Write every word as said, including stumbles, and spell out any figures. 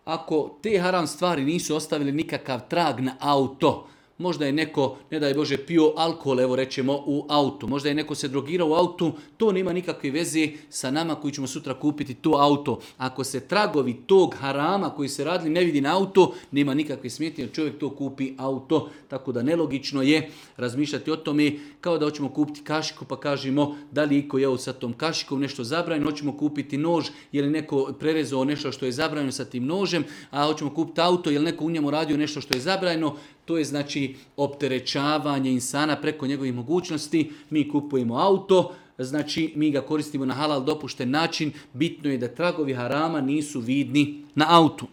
ako te haram stvari nisu ostavili nikakav trag na auto, možda je neko, ne daj Bože, pio alkohol, evo rećemo, u autu. Možda je neko se drogirao u autu, to nema nikakve veze sa nama koji ćemo sutra kupiti to auto. Ako se tragovi tog harama koji se radili ne vidi na auto, nema nikakve smetnje jer čovjek to kupi auto. Tako da nelogično je razmišljati o tome kao da hoćemo kupiti kašiku pa kažemo da li iko jeo sa tom kašikom nešto zabranjeno, hoćemo kupiti nož je li neko prerezao nešto što je zabranjeno sa tim nožem, a hoćemo kupiti auto je li neko u njemu radio nešto što je zabranjeno. To je znači opterećavanje insana preko njegovih mogućnosti. Mi kupujemo auto, znači mi ga koristimo na halal dopušten način. Bitno je da tragovi harama nisu vidni na autu.